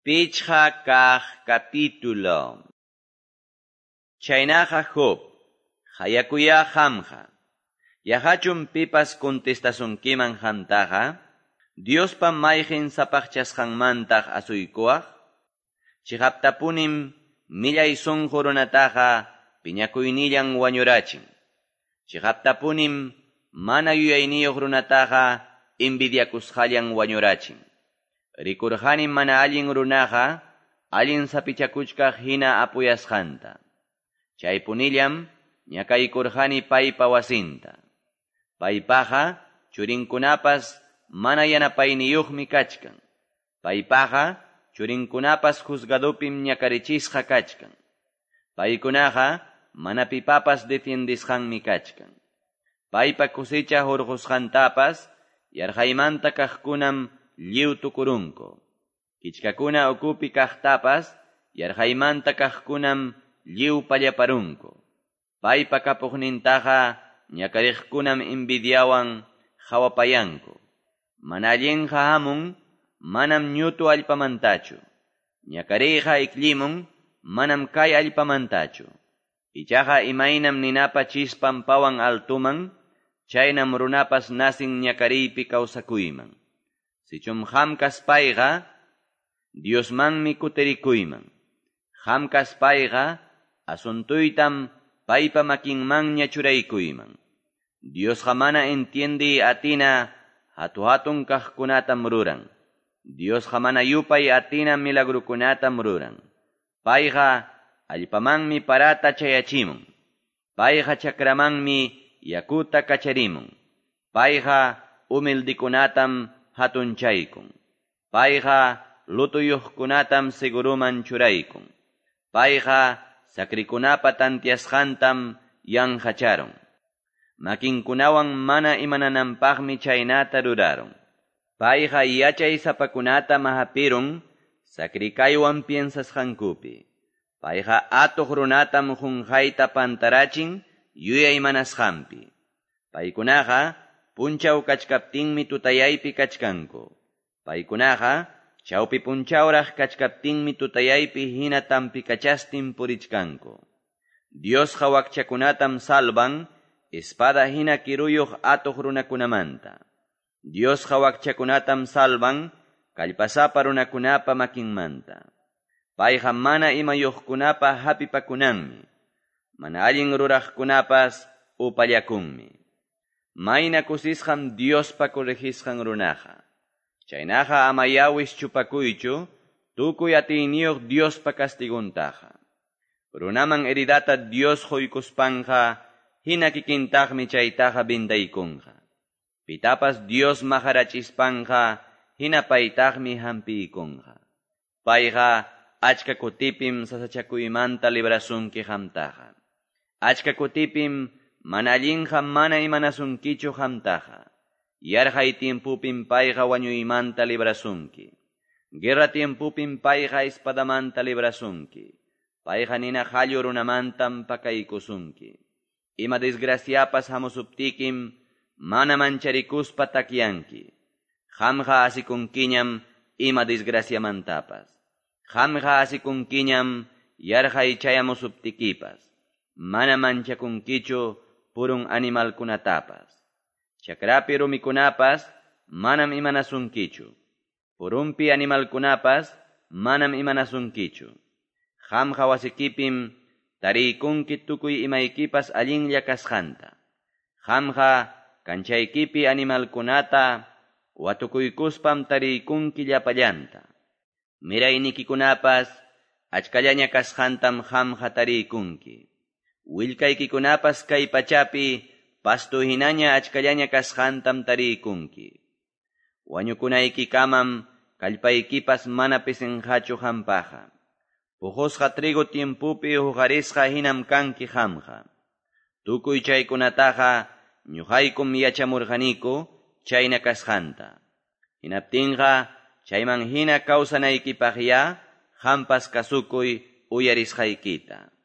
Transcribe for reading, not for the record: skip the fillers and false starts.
5 kaq capítulo. Chaynaqa Job, qayakuyá qamqa. Yaqachum pipas contestasunkiman qamtaqa? Diospa mayqin sapaqchasqanmantaq asuykuwaq? Chiqaptapunim millay sunqu runataqa piñakuynillan wañurachin. Chiqaptapunim mana yuyayniyuq runataqa envidiakusqallan wañurachin. Rikurqanim mana allin runaqa allin sapichakuchkaq hina apuyasqanta. Chaypunillam ñakaykurqani paypa wasinta. Paypaqa churinkunapas mana yanapayniyuqmi kachkan. Paypaqa churinkunapas juzgadupim ñakarichisqa kachkan. Paykunaqa mana pipapas defiendisqanmi kachkan. Paypa cosecha hurqusqantapas yarqaymanta kaqkunam lliw tukurunku. Kichkakuna ukupi kaqtapas yarqaymanta kaqkunam lliw pallaparunku. Paypa kapuqnintaqa ñakariqkunam envidiawan qawapayanku. Mana allinqa hamun manam ñutu allpamantachu. Ñakariyqa ikllimun manam kay allpamantachu. Ichaqa imaynam ninapa chispan pawan altuman, chaynam runapas nacin ñakariypi kawsakuyman. Sichum qam kaspayqa, Diosmanmi kutirikuyman. Qam kaspayqa, asuntuytam paypa makinmanña churaykuyman. Diosqa mana entiendiy atina hatu-hatun kaqkunatam ruran. Diosqa mana yupay atina milagrukunatam ruran. Payqa allpamanmi parata chayachimun. Payqa chakramanmi yakuta kacharimun. Payqa humildikunatam hatunchaykun. Payqa lutuyuqkunatam seguruman churaykun. Payqa sakrikunapa tantiasqantam yanqacharun. Makinkunawan mana imanananpaqmi chaynata rurarun. Payqa yachaysapakunatam hapirun sakrikaywan piensasqankupi. Payqa atuq runatam qunqayta pantarachin yuyaymanasqanpi. Paykunaqa punchaw kachkaptinmi tutayaypi kachkanku. Paykunaqa chawpi punchawraq kachkaptinmi tutayaypi hina tampikachastin purichkanku. Diosqa wakchakunatam salvan espada hina kiruyuq atuq runakunamanta. Diosqa wakchakunatam salvan kallpasapa runakunapa makinmanta. Payqa mana imayuqkunapa hapipakunanmi. Mana allin ruraqkunapas upallakunmi. Mayna kusisqam Diospa corregisqan runaqa. Chaynaqa amayá wischupakuychu tukuy atiyniyuq Diospa castiguntaqa. Runaman heridata Dios quykuspanqa hina kikintaqmi chaytaqa vendaykunqa. Pitapas Dios maqarachispanqa hina paytaqmi hampiykunqa. Payqa achka kutipim sasachakuymanta librasunki qamtaqa. Achka kutipim mana allinqa mana imanasunkichu qamtaqa. Yarqay tiempupim payqa wañuymanta librasunki. Guerra tiempupim payqa espadamanta librasunki. Payqa nina qallu runamantam pakaykusunki. Ima desgraciapas hamusuptikim mana mancharikuspa takyanki. Qamqa asikunkiñam ima desgraciamantapas. Qamqa asikunkiñam yarqay chayamusuptikipas. Mana manchakunkichu purun animalkunatapas. Chakrapi rumikunapas manam imanasunkichu. Purunpi animalkunapas manam imanasunkichu. Qamqa wasikipim tariykunki tukuy imaykipas allinlla kasqanta. Qamqa kanchaykipi animalkunata watukuykuspam tariykunki llapallanta. Miraynikikunapas achkallaña kasqantam qamqa tariykunki. Willkaykikunapas kay pachapi pasto hinaña achkallaña kasqantam tariykunki. Wañukunaykikamam kallpaykipas mana pisinqachu qampaqa. Puqusqa trigo tiempupi huqarisqa hinam kanki qamqa. Tukuy chaykunataqa ñuqaykum yachamurqaniku chayna kasqanta. Hinaptinqa chayman hina kawsanaykipaqyá qampas kasukuy uyarisqaykita.